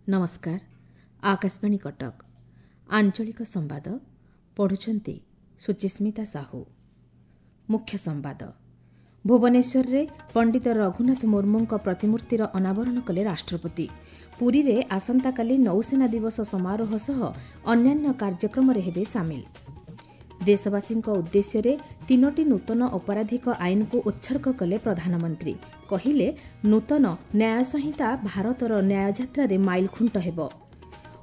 ନମସ୍କାର, ଆକାଶବାଣୀ କଟକ। ଆଞ୍ଚଳିକ ସମ୍ବାଦ ପଢ଼ୁଛନ୍ତି ସୁଚିସ୍ମିତା ସାହୁ। ମୁଖ୍ୟ ସମ୍ବାଦ। ଭୁବନେଶ୍ୱରରେ ପଣ୍ଡିତ ରଘୁନାଥ ମୁର୍ମୁଙ୍କ ପ୍ରତିମୂର୍ତ୍ତିର ଅନାବରଣ କଲେ ରାଷ୍ଟ୍ରପତି। ପୁରୀରେ ଆସନ୍ତାକାଲି ନୌସେନା ଦିବସ ସମାରୋହ ସହ ଅନ୍ୟାନ୍ୟ କାର୍ଯ୍ୟକ୍ରମରେ ହେବେ ସାମିଲ। ଦେଶବାସୀଙ୍କ ଉଦ୍ଦେଶ୍ୟରେ ତିନୋଟି ନୂତନ ଅପରାଧିକ ଆଇନକୁ ଉତ୍ସର୍ଗ କଲେ ପ୍ରଧାନମନ୍ତ୍ରୀ। କହିଲେ, ନୂତନ ନ୍ୟାୟ ସଂହିତା ଭାରତର ନ୍ୟାୟଯାତ୍ରାରେ ମାଇଲଖୁଣ୍ଟ ହେବ।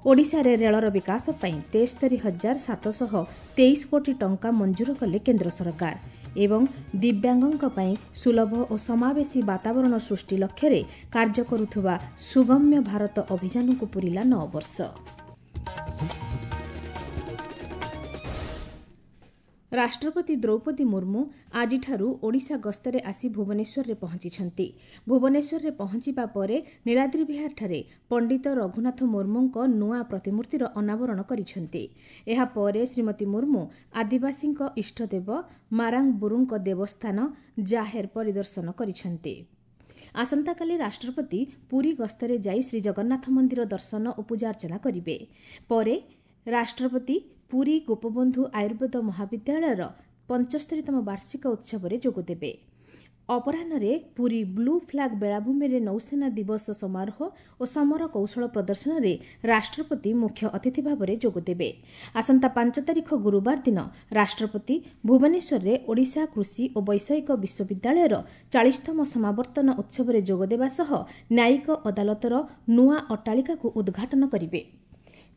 ଓଡ଼ିଶାରେ ରେଳର ବିକାଶ ପାଇଁ 73,723 କୋଟି ଟଙ୍କା ମଞ୍ଜୁର କଲେ କେନ୍ଦ୍ର ସରକାର। ଏବଂ ଦିବ୍ୟାଙ୍ଗଙ୍କ ପାଇଁ ସୁଲଭ ଓ ସମାବେଶୀ ବାତାବରଣ ସୃଷ୍ଟି ଲକ୍ଷ୍ୟରେ କାର୍ଯ୍ୟ କରୁଥିବା ସୁଗମ୍ୟ ଭାରତ ଅଭିଯାନକୁ ପୂରିଲା 9 ବର୍ଷ। ରାଷ୍ଟ୍ରପତି ଦ୍ରୌପଦୀ ମୁର୍ମୁ ଆଜିଠାରୁ ଓଡ଼ିଶା ଗସ୍ତରେ ଆସି ଭୁବନେଶ୍ୱରରେ ପହଞ୍ଚିଛନ୍ତି। ଭୁବନେଶ୍ୱରରେ ପହଞ୍ଚିବା ପରେ ନୀଳାଦ୍ରିବିହାରଠାରେ ପଣ୍ଡିତ ରଘୁନାଥ ମୁର୍ମୁଙ୍କ ନୂଆ ପ୍ରତିମୂର୍ତ୍ତିର ଅନାବରଣ କରିଛନ୍ତି। ଏହାପରେ ଶ୍ରୀମତୀ ମୁର୍ମୁ ଆଦିବାସୀଙ୍କ ଇଷ୍ଟଦେବ ମାରାଙ୍ଗବୁରୁଙ୍କ ଦେବସ୍ଥାନ ଜାହେର ପରିଦର୍ଶନ କରିଛନ୍ତି। ଆସନ୍ତାକାଲି ରାଷ୍ଟ୍ରପତି ପୁରୀ ଗସ୍ତରେ ଯାଇ ଶ୍ରୀଜଗନ୍ନାଥ ମନ୍ଦିର ଦର୍ଶନ ଓ ପୂଜାର୍ଚ୍ଚନା କରିବେ। ପରେ ରାଷ୍ଟ୍ରପତି ପୁରୀ ଗୋପବନ୍ଧୁ ଆୟୁର୍ବେଦ ମହାବିଦ୍ୟାଳୟର 75ତମ ବାର୍ଷିକ ଉତ୍ସବରେ ଯୋଗଦେବେ। ଅପରାହ୍ନରେ ପୁରୀ ବ୍ଲୁ ଫ୍ଲାଗ୍ ବେଳାଭୂମିରେ ନୌସେନା ଦିବସ ସମାରୋହ ଓ ସମର କୌଶଳ ପ୍ରଦର୍ଶନରେ ରାଷ୍ଟ୍ରପତି ମୁଖ୍ୟ ଅତିଥି ଭାବରେ ଯୋଗଦେବେ। ଆସନ୍ତା 5 ତାରିଖ ଗୁରୁବାର ଦିନ ରାଷ୍ଟ୍ରପତି ଭୁବନେଶ୍ୱରରେ ଓଡ଼ିଶା କୃଷି ଓ ବୈଷୟିକ ବିଶ୍ୱବିଦ୍ୟାଳୟର 40ତମ ସମାବର୍ତ୍ତନ ଉତ୍ସବରେ ଯୋଗଦେବା ସହ ନ୍ୟାୟିକ ଅଦାଲତର ନୂଆ ଅଟ୍ଟାଳିକାକୁ ଉଦ୍ଘାଟନ କରିବେ।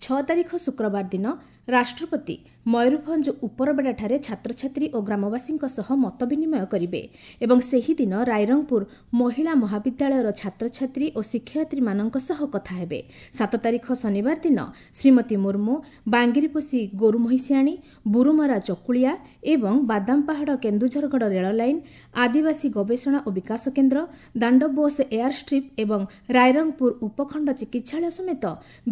6 ତାରିଖ ଶୁକ୍ରବାର ଦିନ ରାଷ୍ଟ୍ରପତି ମୟୂରଭଞ୍ଜ ଉପରବେଡ଼ାଠାରେ ଛାତ୍ରଛାତ୍ରୀ ଓ ଗ୍ରାମବାସୀଙ୍କ ସହ ମତ ବିନିମୟ କରିବେ ଏବଂ ସେହିଦିନ ରାଇରଙ୍ଗପୁର ମହିଳା ମହାବିଦ୍ୟାଳୟର ଛାତ୍ରଛାତ୍ରୀ ଓ ଶିକ୍ଷୟିତ୍ରୀମାନଙ୍କ ସହ କଥା ହେବେ। 7 ତାରିଖ ଶନିବାର ଦିନ ଶ୍ରୀମତୀ ମୁର୍ମୁ ବାଙ୍ଗିରିପୋଷି ଗୋରୁମହିଷିଆଣୀ, ବୁରୁମରା ଚକୁଳିଆ ଏବଂ ବାଦାମପାହାଡ଼ କେନ୍ଦୁଝରଗଡ଼ ରେଳ ଲାଇନ୍, ଆଦିବାସୀ ଗବେଷଣା ଓ ବିକାଶ କେନ୍ଦ୍ର, ଦାଣ୍ଡବୋଷ ଏୟାର ଷ୍ଟ୍ରିପ୍ ଏବଂ ରାଇରଙ୍ଗପୁର ଉପଖଣ୍ଡ ଚିକିତ୍ସାଳୟ ସମେତ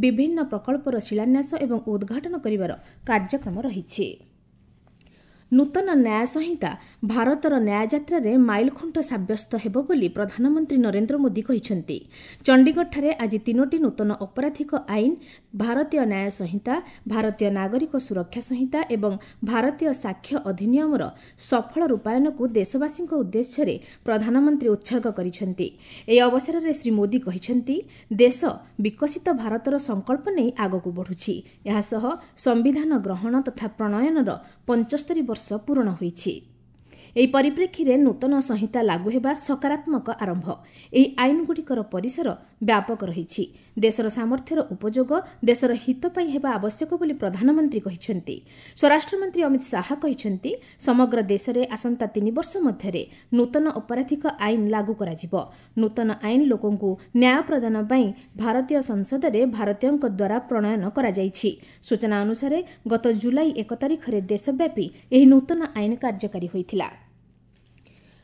ବିଭିନ୍ନ ପ୍ରକଳ୍ପର ଶିଳାନ୍ୟାସ ଏବଂ ଉଦ୍ଘାଟନ କରିବାର କାର୍ଯ୍ୟକ୍ରମ ରହିଛି। ନୂତନ ନ୍ୟାୟ ସଂହିତା ଭାରତର ନ୍ୟାୟଯାତ୍ରାରେ ମାଇଲଖୁଣ୍ଟ ସାବ୍ୟସ୍ତ ହେବ ବୋଲି ପ୍ରଧାନମନ୍ତ୍ରୀ ନରେନ୍ଦ୍ର ମୋଦି କହିଛନ୍ତି। ଚଣ୍ଡିଗଡ଼ଠାରେ ଆଜି ତିନୋଟି ନୂତନ ଅପରାଧିକ ଆଇନ, ଭାରତୀୟ ନ୍ୟାୟ ସଂହିତା, ଭାରତୀୟ ନାଗରିକ ସୁରକ୍ଷା ସଂହିତା ଏବଂ ଭାରତୀୟ ସାକ୍ଷ୍ୟ ଅଧିନିୟମର ସଫଳ ରୂପାୟନକୁ ଦେଶବାସୀଙ୍କ ଉଦ୍ଦେଶ୍ୟରେ ପ୍ରଧାନମନ୍ତ୍ରୀ ଉତ୍ସର୍ଗ କରିଛନ୍ତି। ଏହି ଅବସରରେ ଶ୍ରୀ ମୋଦି କହିଛନ୍ତି, ଦେଶ ବିକଶିତ ଭାରତର ସଂକଳ୍ପ ନେଇ ଆଗକୁ ବଢ଼ୁଛି। ଏହାସହ ସମ୍ବିଧାନ ଗ୍ରହଣ ତଥା ପ୍ରଣୟନର 75 ବର୍ଷ ପୂରଣ ହୋଇଛି। ଏହି ପରିପ୍ରେକ୍ଷୀରେ ନୂତନ ସଂହିତା ଲାଗୁ ହେବା ସକାରାତ୍ମକ ଆରମ୍ଭ। ଏହି ଆଇନଗୁଡ଼ିକର ପରିସର ବ୍ୟାପକ ରହିଛି। ଦେଶର ସାମର୍ଥ୍ୟର ଉପଯୋଗ ଦେଶର ହିତ ପାଇଁ ହେବା ଆବଶ୍ୟକ ବୋଲି ପ୍ରଧାନମନ୍ତ୍ରୀ କହିଛନ୍ତି। ସ୍ୱରାଷ୍ଟ୍ରମନ୍ତ୍ରୀ ଅମିତ ଶାହା କହିଛନ୍ତି, ସମଗ୍ର ଦେଶରେ ଆସନ୍ତା 3 ବର୍ଷ ମଧ୍ୟରେ ନୂତନ ଅପରାଧିକ ଆଇନ ଲାଗୁ କରାଯିବ। ନୂତନ ଆଇନ ଲୋକଙ୍କୁ ନ୍ୟାୟ ପ୍ରଦାନ ପାଇଁ ଭାରତୀୟ ସଂସଦରେ ଭାରତୀୟଙ୍କ ଦ୍ୱାରା ପ୍ରଣୟନ କରାଯାଇଛି। ସୂଚନା ଅନୁସାରେ ଗତ ଜୁଲାଇ 1 ତାରିଖରେ ଦେଶବ୍ୟାପୀ ଏହି ନୂତନ ଆଇନ କାର୍ଯ୍ୟକାରୀ ହୋଇଥିଲା।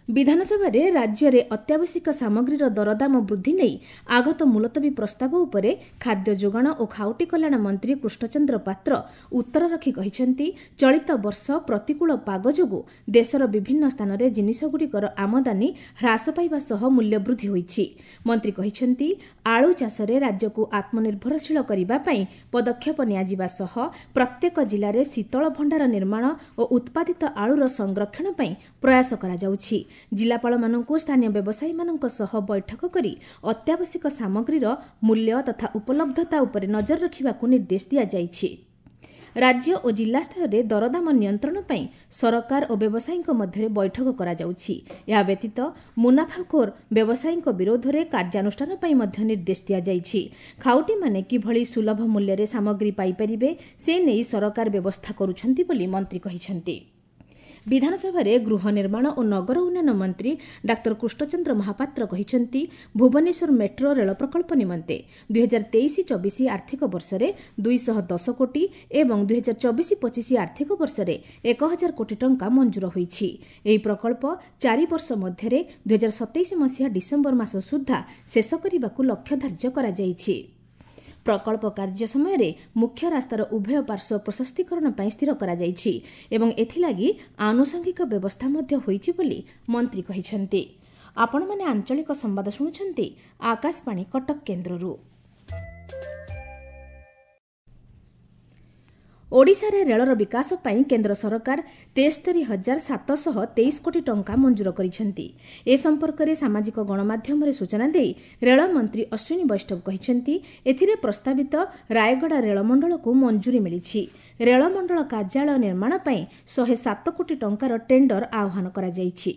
ବିଧାନସଭାରେ ରାଜ୍ୟରେ ଅତ୍ୟାବଶ୍ୟକ ସାମଗ୍ରୀର ଦରଦାମ ବୃଦ୍ଧି ନେଇ ଆଗତ ମୁଲତବୀ ପ୍ରସ୍ତାବ ଉପରେ ଖାଦ୍ୟ ଯୋଗାଣ ଓ ଖାଉଟି କଲ୍ୟାଣ ମନ୍ତ୍ରୀ କୃଷ୍ଣଚନ୍ଦ୍ର ପାତ୍ର ଉତ୍ତର ରଖି କହିଛନ୍ତି, ଚଳିତ ବର୍ଷ ପ୍ରତିକୂଳ ପାଗ ଯୋଗୁଁ ଦେଶର ବିଭିନ୍ନ ସ୍ଥାନରେ ଜିନିଷଗୁଡ଼ିକର ଆମଦାନୀ ହ୍ରାସ ପାଇବା ସହ ମୂଲ୍ୟ ବୃଦ୍ଧି ହୋଇଛି। ମନ୍ତ୍ରୀ କହିଛନ୍ତି, ଆଳୁ ଚାଷରେ ରାଜ୍ୟକୁ ଆତ୍ମନିର୍ଭରଶୀଳ କରିବା ପାଇଁ ପଦକ୍ଷେପ ନିଆଯିବା ସହ ପ୍ରତ୍ୟେକ ଜିଲ୍ଲାରେ ଶୀତଳ ଭଣ୍ଡାର ନିର୍ମାଣ ଓ ଉତ୍ପାଦିତ ଆଳୁର ସଂରକ୍ଷଣ ପାଇଁ ପ୍ରୟାସ କରାଯାଉଛି। ଜିଲ୍ଲାପାଳମାନଙ୍କୁ ସ୍ଥାନୀୟ ବ୍ୟବସାୟୀମାନଙ୍କ ସହ ବୈଠକ କରି ଅତ୍ୟାବଶ୍ୟକ ସାମଗ୍ରୀର ମୂଲ୍ୟ ତଥା ଉପଲବ୍ଧତା ଉପରେ ନଜର ରଖିବାକୁ ନିର୍ଦ୍ଦେଶ ଦିଆଯାଇଛି। ରାଜ୍ୟ ଓ ଜିଲ୍ଲା ସ୍ତରରେ ଦରଦାମ ନିୟନ୍ତ୍ରଣ ପାଇଁ ସରକାର ଓ ବ୍ୟବସାୟୀଙ୍କ ମଧ୍ୟରେ ବୈଠକ କରାଯାଉଛି। ଏହା ବ୍ୟତୀତ ମୁନାଫାଖୋର ବ୍ୟବସାୟୀଙ୍କ ବିରୋଧରେ କାର୍ଯ୍ୟାନୁଷ୍ଠାନ ପାଇଁ ମଧ୍ୟ ନିର୍ଦ୍ଦେଶ ଦିଆଯାଇଛି। ଖାଉଟିମାନେ କିଭଳି ସୁଲଭ ମୂଲ୍ୟରେ ସାମଗ୍ରୀ ପାଇପାରିବେ ସେ ନେଇ ସରକାର ବ୍ୟବସ୍ଥା କରୁଛନ୍ତି ବୋଲି ମନ୍ତ୍ରୀ କହିଛନ୍ତି। ବିଧାନସଭାରେ ଗୃହ ନିର୍ମାଣ ଓ ନଗର ଉନ୍ନୟନ ମନ୍ତ୍ରୀ ଡାକ୍ତର କୃଷ୍ଣଚନ୍ଦ୍ର ମହାପାତ୍ର କହିଛନ୍ତି, ଭୁବନେଶ୍ୱର ମେଟ୍ରୋ ରେଳ ପ୍ରକଳ୍ପ ନିମନ୍ତେ 2023-24 ଆର୍ଥିକ ବର୍ଷରେ 210 କୋଟି ଏବଂ 2024-25 ଆର୍ଥିକ ବର୍ଷରେ 1000 କୋଟି ଟଙ୍କା ମଞ୍ଜୁର ହୋଇଛି। ଏହି ପ୍ରକଳ୍ପ 4 ବର୍ଷ ମଧ୍ୟରେ 2027 ମସିହା ଡିସେମ୍ବର ମାସ ସୁଦ୍ଧା ଶେଷ କରିବାକୁ ଲକ୍ଷ୍ୟ ଧାର୍ଯ୍ୟ କରାଯାଇଛି। ପ୍ରକଳ୍ପ କାର୍ଯ୍ୟ ସମୟରେ ମୁଖ୍ୟ ରାସ୍ତାର ଉଭୟ ପାର୍ଶ୍ୱ ପ୍ରଶସ୍ତୀକରଣ ପାଇଁ ସ୍ଥିର କରାଯାଇଛି ଏବଂ ଏଥିଲାଗି ଆନୁଷଙ୍ଗିକ ବ୍ୟବସ୍ଥା ମଧ୍ୟ ହୋଇଛି ବୋଲି ମନ୍ତ୍ରୀ କହିଛନ୍ତି। ଆପଣମାନେ ଆଞ୍ଚଳିକ ସମ୍ବାଦ ଶୁଣୁଛନ୍ତି ଆକାଶବାଣୀ କଟକ କେନ୍ଦ୍ରରୁ। ଓଡ଼ିଶାରେ ରେଳର ବିକାଶ ପାଇଁ କେନ୍ଦ୍ର ସରକାର 73,723 କୋଟି ଟଙ୍କା ମଞ୍ଜୁର କରିଛନ୍ତି। ଏ ସମ୍ପର୍କରେ ସାମାଜିକ ଗଣମାଧ୍ୟମରେ ସୂଚନା ଦେଇ ରେଳମନ୍ତ୍ରୀ ଅଶ୍ୱିନୀ ବୈଷ୍ଣବ କହିଛନ୍ତି, ଏଥିରେ ପ୍ରସ୍ତାବିତ ରାୟଗଡ଼ା ରେଳମଣ୍ଡଳକୁ ମଞ୍ଜୁରୀ ମିଳିଛି। ରେଳମଣ୍ଡଳ କାର୍ଯ୍ୟାଳୟ ନିର୍ମାଣ ପାଇଁ 107 କୋଟି ଟଙ୍କାର ଟେଣ୍ଡର ଆହ୍ୱାନ କରାଯାଇଛି।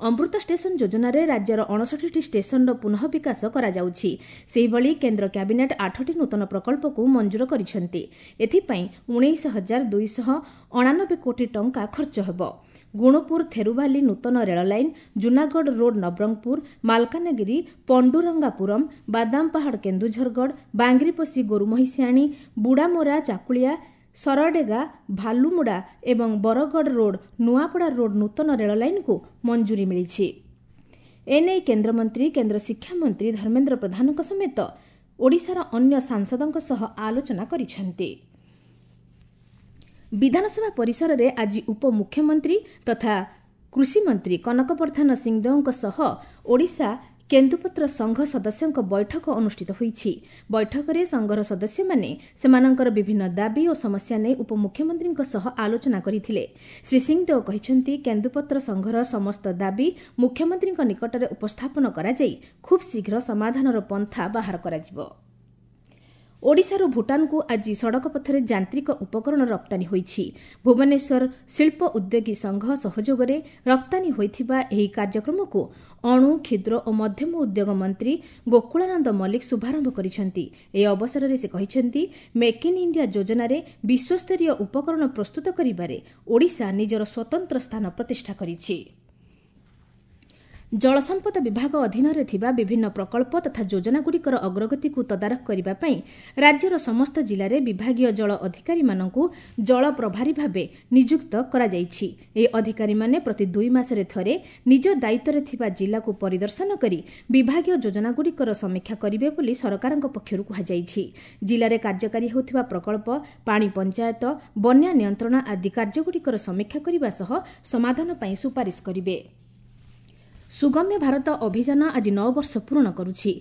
ଅମୃତ ଷ୍ଟେସନ ଯୋଜନାରେ ରାଜ୍ୟର 59ଟି ଷ୍ଟେସନର ପୁନଃ ବିକାଶ କରାଯାଉଛି। ସେହିଭଳି କେନ୍ଦ୍ର କ୍ୟାବିନେଟ୍ 8ଟି ନୂତନ ପ୍ରକଳ୍ପକୁ ମଞ୍ଜୁର କରିଛନ୍ତି। ଏଥିପାଇଁ 19,289 କୋଟି ଟଙ୍କା ଖର୍ଚ୍ଚ ହେବ। ଗୁଣପୁର ଥେରୁବାଲି ନୂତନ ରେଳ ଲାଇନ୍, ଜୁନାଗଡ଼ ରୋଡ୍ ନବରଙ୍ଗପୁର, ମାଲକାନଗିରି ପଣ୍ଡୁରଙ୍ଗାପୁରମ୍, ବାଦାମପାହାଡ଼ କେନ୍ଦୁଝରଗଡ଼, ବାଙ୍ଗିରିପୋଷି ଗୋରୁମହିଷିଆଣୀ, ବୁଡ଼ାମୋରା ଚାକୁଳିଆ, ସରଡେଗା ଭାଲୁମୁଡ଼ା ଏବଂ ବରଗଡ଼ ରୋଡ୍ ନୂଆପଡ଼ା ରୋଡ୍ ନୂତନ ରେଳ ଲାଇନ୍କୁ ମଞ୍ଜୁରୀ ମିଳିଛି। ଏନେଇ କେନ୍ଦ୍ରମନ୍ତ୍ରୀ, କେନ୍ଦ୍ର ଶିକ୍ଷାମନ୍ତ୍ରୀ ଧର୍ମେନ୍ଦ୍ର ପ୍ରଧାନଙ୍କ ସମେତ ଓଡ଼ିଶାର ଅନ୍ୟ ସାଂସଦଙ୍କ ସହ ଆଲୋଚନା କରିଛନ୍ତି। ବିଧାନସଭା ପରିସରରେ ଆଜି ଉପମୁଖ୍ୟମନ୍ତ୍ରୀ ତଥା କୃଷିମନ୍ତ୍ରୀ କନକ ବର୍ଦ୍ଧନ ସିଂଦେଓଙ୍କ ସହ ଓଡ଼ିଶା କେନ୍ଦୁପତ୍ର ସଂଘ ସଦସ୍ୟଙ୍କ ବୈଠକ ଅନୁଷ୍ଠିତ ହୋଇଛି। ବୈଠକରେ ସଂଘର ସଦସ୍ୟମାନେ ସେମାନଙ୍କର ବିଭିନ୍ନ ଦାବି ଓ ସମସ୍ୟା ନେଇ ଉପମୁଖ୍ୟମନ୍ତ୍ରୀଙ୍କ ସହ ଆଲୋଚନା କରିଥିଲେ। ଶ୍ରୀ ସିଂଦେଓ କହିଛନ୍ତି, କେନ୍ଦୁପତ୍ର ସଂଘର ସମସ୍ତ ଦାବି ମୁଖ୍ୟମନ୍ତ୍ରୀଙ୍କ ନିକଟରେ ଉପସ୍ଥାପନ କରାଯାଇ ଖୁବ୍ ଶୀଘ୍ର ସମାଧାନର ପନ୍ଥା ବାହାର କରାଯିବ। ଓଡ଼ିଶାରୁ ଭୁଟାନକୁ ଆଜି ସଡ଼କ ପଥରେ ଯାନ୍ତ୍ରିକ ଉପକରଣ ରପ୍ତାନୀ ହୋଇଛି। ଭୁବନେଶ୍ୱର ଶିଳ୍ପ ଉଦ୍ୟୋଗୀ ସଂଘ ସହଯୋଗରେ ରପ୍ତାନୀ ହୋଇଥିବା ଏହି କାର୍ଯ୍ୟକ୍ରମକୁ ଅଣୁ, କ୍ଷୁଦ୍ର ଓ ମଧ୍ୟମ ଉଦ୍ୟୋଗ ମନ୍ତ୍ରୀ ଗୋକୁଳାନନ୍ଦ ମଲ୍ଲିକ ଶୁଭାରମ୍ଭ କରିଛନ୍ତି। ଏହି ଅବସରରେ ସେ କହିଛନ୍ତି, ମେକ୍ ଇନ୍ ଇଣ୍ଡିଆ ଯୋଜନାରେ ବିଶ୍ୱସ୍ତରୀୟ ଉପକରଣ ପ୍ରସ୍ତୁତ କରିବାରେ ଓଡ଼ିଶା ନିଜର ସ୍ୱତନ୍ତ୍ର ସ୍ଥାନ ପ୍ରତିଷ୍ଠା କରିଛି। ଜଳସମ୍ପଦ ବିଭାଗ ଅଧୀନରେ ଥିବା ବିଭିନ୍ନ ପ୍ରକଳ୍ପ ତଥା ଯୋଜନାଗୁଡ଼ିକର ଅଗ୍ରଗତିକୁ ତଦାରଖ କରିବା ପାଇଁ ରାଜ୍ୟର ସମସ୍ତ ଜିଲ୍ଲାରେ ବିଭାଗୀୟ ଜଳ ଅଧିକାରୀମାନଙ୍କୁ ଜଳ ପ୍ରଭାରୀ ଭାବେ ନିଯୁକ୍ତ କରାଯାଇଛି। ଏହି ଅଧିକାରୀମାନେ ପ୍ରତି 2 ମାସରେ ଥରେ ନିଜ ଦାୟିତ୍ୱରେ ଥିବା ଜିଲ୍ଲାକୁ ପରିଦର୍ଶନ କରି ବିଭାଗୀୟ ଯୋଜନାଗୁଡ଼ିକର ସମୀକ୍ଷା କରିବେ ବୋଲି ସରକାରଙ୍କ ପକ୍ଷରୁ କୁହାଯାଇଛି। ଜିଲ୍ଲାରେ କାର୍ଯ୍ୟକାରୀ ହେଉଥିବା ପ୍ରକଳ୍ପ, ପାଣି ପଞ୍ଚାୟତ, ବନ୍ୟା ନିୟନ୍ତ୍ରଣ ଆଦି କାର୍ଯ୍ୟଗୁଡ଼ିକର ସମୀକ୍ଷା କରିବା ସହ ସମାଧାନ ପାଇଁ ସୁପାରିଶ କରିବେ। ସୁଗମ୍ୟ ଭାରତ ଅଭିଯାନ ଆଜି 9 ବର୍ଷ ପୂରଣ କରୁଛି।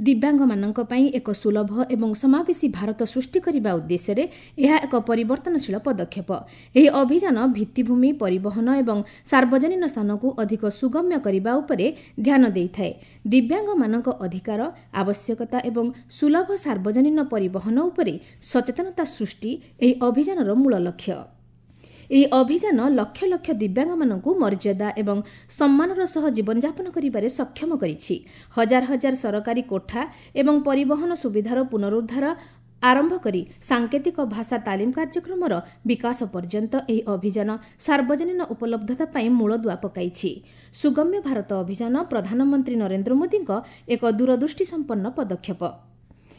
ଦିବ୍ୟାଙ୍ଗମାନଙ୍କ ପାଇଁ ଏକ ସୁଲଭ ଏବଂ ସମାବେଶୀ ଭାରତ ସୃଷ୍ଟି କରିବା ଉଦ୍ଦେଶ୍ୟରେ ଏହା ଏକ ପରିବର୍ତ୍ତନଶୀଳ ପଦକ୍ଷେପ। ଏହି ଅଭିଯାନ ଭିତ୍ତିଭୂମି, ପରିବହନ ଏବଂ ସାର୍ବଜନୀନ ସ୍ଥାନକୁ ଅଧିକ ସୁଗମ୍ୟ କରିବା ଉପରେ ଧ୍ୟାନ ଦେଇଥାଏ। ଦିବ୍ୟାଙ୍ଗମାନଙ୍କ ଅଧିକାର, ଆବଶ୍ୟକତା ଏବଂ ସୁଲଭ ସାର୍ବଜନୀନ ପରିବହନ ଉପରେ ସଚେତନତା ସୃଷ୍ଟି ଏହି ଅଭିଯାନର ମୂଳ ଲକ୍ଷ୍ୟ। ଏହି ଅଭିଯାନ ଲକ୍ଷ ଲକ୍ଷ ଦିବ୍ୟାଙ୍ଗମାନଙ୍କୁ ମର୍ଯ୍ୟାଦା ଏବଂ ସମ୍ମାନର ସହ ଜୀବନଯାପନ କରିବାରେ ସକ୍ଷମ କରିଛି। ହଜାର ହଜାର ସରକାରୀ କୋଠା ଏବଂ ପରିବହନ ସୁବିଧାର ପୁନରୁଦ୍ଧାର ଆରମ୍ଭ କରି ସାଙ୍କେତିକ ଭାଷା ତାଲିମ କାର୍ଯ୍ୟକ୍ରମର ବିକାଶ ପର୍ଯ୍ୟନ୍ତ ଏହି ଅଭିଯାନ ସାର୍ବଜନୀନ ଉପଲବ୍ଧତା ପାଇଁ ମୂଳଦୁଆ ପକାଇଛି। ସୁଗମ୍ୟ ଭାରତ ଅଭିଯାନ ପ୍ରଧାନମନ୍ତ୍ରୀ ନରେନ୍ଦ୍ର ମୋଦିଙ୍କ ଏକ ଦୂରଦୃଷ୍ଟିସମ୍ପନ୍ନ ପଦକ୍ଷେପ।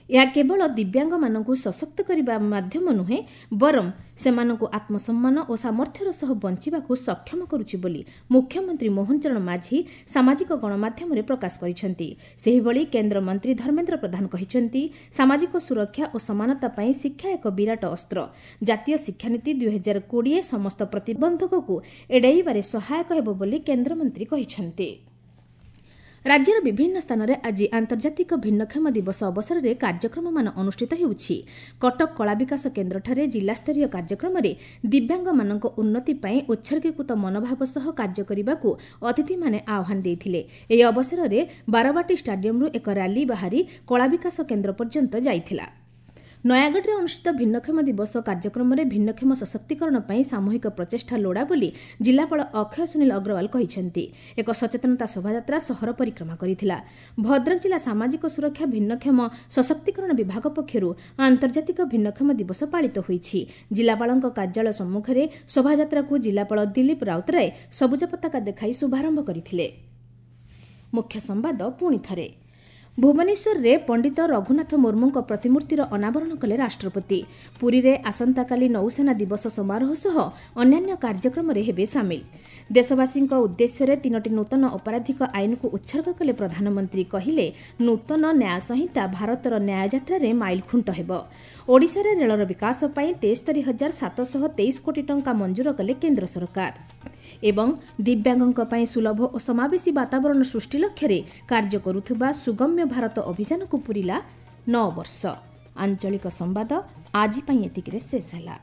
ଏହା କେବଳ ଦିବ୍ୟାଙ୍ଗମାନଙ୍କୁ ସଶକ୍ତ କରିବା ମାଧ୍ୟମ ନୁହେଁ, ବରଂ ସେମାନଙ୍କୁ ଆତ୍ମସମ୍ମାନ ଓ ସାମର୍ଥ୍ୟର ସହ ବଞ୍ଚିବାକୁ ସକ୍ଷମ କରୁଛି ବୋଲି ମୁଖ୍ୟମନ୍ତ୍ରୀ ମୋହନ ଚରଣ ମାଝୀ ସାମାଜିକ ଗଣମାଧ୍ୟମରେ ପ୍ରକାଶ କରିଛନ୍ତି। ସେହିଭଳି କେନ୍ଦ୍ରମନ୍ତ୍ରୀ ଧର୍ମେନ୍ଦ୍ର ପ୍ରଧାନ କହିଛନ୍ତି, ସାମାଜିକ ସୁରକ୍ଷା ଓ ସମାନତା ପାଇଁ ଶିକ୍ଷା ଏକ ବିରାଟ ଅସ୍ତ୍ର। ଜାତୀୟ ଶିକ୍ଷାନୀତି 2020 ସମସ୍ତ ପ୍ରତିବନ୍ଧକକୁ ଏଡ଼ାଇବାରେ ସହାୟକ ହେବ ବୋଲି କେନ୍ଦ୍ରମନ୍ତ୍ରୀ କହିଛନ୍ତି। ରାଜ୍ୟର ବିଭିନ୍ନ ସ୍ଥାନରେ ଆଜି ଆନ୍ତର୍ଜାତିକ ଭିନ୍ନକ୍ଷମ ଦିବସ ଅବସରରେ କାର୍ଯ୍ୟକ୍ରମମାନ ଅନୁଷ୍ଠିତ ହେଉଛି। କଟକ କଳାବିକାଶ କେନ୍ଦ୍ରଠାରେ ଜିଲ୍ଲାସ୍ତରୀୟ କାର୍ଯ୍ୟକ୍ରମରେ ଦିବ୍ୟାଙ୍ଗମାନଙ୍କ ଉନ୍ନତି ପାଇଁ ଉତ୍ସର୍ଗୀକୃତ ମନୋଭାବ ସହ କାର୍ଯ୍ୟ କରିବାକୁ ଅତିଥିମାନେ ଆହ୍ୱାନ ଦେଇଥିଲେ। ଏହି ଅବସରରେ ବାରବାଟୀ ଷ୍ଟାଡିୟମରୁ ଏକ ର୍ୟାଲି ବାହାରି କଳାବିକାଶ କେନ୍ଦ୍ର ପର୍ଯ୍ୟନ୍ତ ଯାଇଥିଲା। ନୟାଗଡ଼ରେ ଅନୁଷ୍ଠିତ ଭିନ୍ନକ୍ଷମ ଦିବସ କାର୍ଯ୍ୟକ୍ରମରେ ଭିନ୍ନକ୍ଷମ ସଶକ୍ତିକରଣ ପାଇଁ ସାମୂହିକ ପ୍ରଚେଷ୍ଟା ଲୋଡ଼ା ବୋଲି ଜିଲ୍ଲାପାଳ ଅକ୍ଷୟ ସୁନୀଲ ଅଗ୍ରୱାଲ କହିଛନ୍ତି। ଏକ ସଚେତନତା ଶୋଭାଯାତ୍ରା ସହର ପରିକ୍ରମା କରିଥିଲା। ଭଦ୍ରକ ଜିଲ୍ଲା ସାମାଜିକ ସୁରକ୍ଷା ଭିନ୍ନକ୍ଷମ ସଶକ୍ତିକରଣ ବିଭାଗ ପକ୍ଷରୁ ଆନ୍ତର୍ଜାତିକ ଭିନ୍ନକ୍ଷମ ଦିବସ ପାଳିତ ହୋଇଛି। ଜିଲ୍ଲାପାଳଙ୍କ କାର୍ଯ୍ୟାଳୟ ସମ୍ମୁଖରେ ଶୋଭାଯାତ୍ରାକୁ ଜିଲ୍ଲାପାଳ ଦିଲ୍ଲୀପ ରାଉତରାୟ ସବୁଜ ପତାକା ଦେଖାଇ ଶୁଭାରମ୍ଭ କରିଥିଲେ। ମୁଖ୍ୟ ସମ୍ବାଦ ପୁଣି ଥରେ। ଭୁବନେଶ୍ୱରରେ ପଣ୍ଡିତ ରଘୁନାଥ ମୁର୍ମୁଙ୍କ ପ୍ରତିମୂର୍ତ୍ତିର ଅନାବରଣ କଲେ ରାଷ୍ଟ୍ରପତି। ପୁରୀରେ ଆସନ୍ତାକାଲି ନୌସେନା ଦିବସ ସମାରୋହ ସହ ଅନ୍ୟାନ୍ୟ କାର୍ଯ୍ୟକ୍ରମରେ ହେବେ ସାମିଲ। ଦେଶବାସୀଙ୍କ ଉଦ୍ଦେଶ୍ୟରେ 3ଟି ନୂତନ ଅପରାଧିକ ଆଇନକୁ ଉତ୍ସର୍ଗ କଲେ ପ୍ରଧାନମନ୍ତ୍ରୀ। କହିଲେ, ନୂତନ ନ୍ୟାୟ ସଂହିତା ଭାରତର ନ୍ୟାୟଯାତ୍ରାରେ ମାଇଲଖୁଣ୍ଟ ହେବ। ଓଡ଼ିଶାରେ ରେଳର ବିକାଶ ପାଇଁ 73,723 କୋଟି ଟଙ୍କା ମଞ୍ଜୁର କଲେ କେନ୍ଦ୍ର ସରକାର। ଏବଂ ଦିବ୍ୟାଙ୍ଗଙ୍କ ପାଇଁ ସୁଲଭ ଓ ସମାବେଶୀ ବାତାବରଣ ସୃଷ୍ଟି ଲକ୍ଷ୍ୟରେ କାର୍ଯ୍ୟ କରୁଥିବା ସୁଗମ୍ୟ ଭାରତ ଅଭିଯାନକୁ ପୂରିଲା 9 ବର୍ଷ। ଆଞ୍ଚଳିକ ସମ୍ବାଦ ଆଜି ପାଇଁ ଏତିକିରେ ଶେଷ ହେଲା।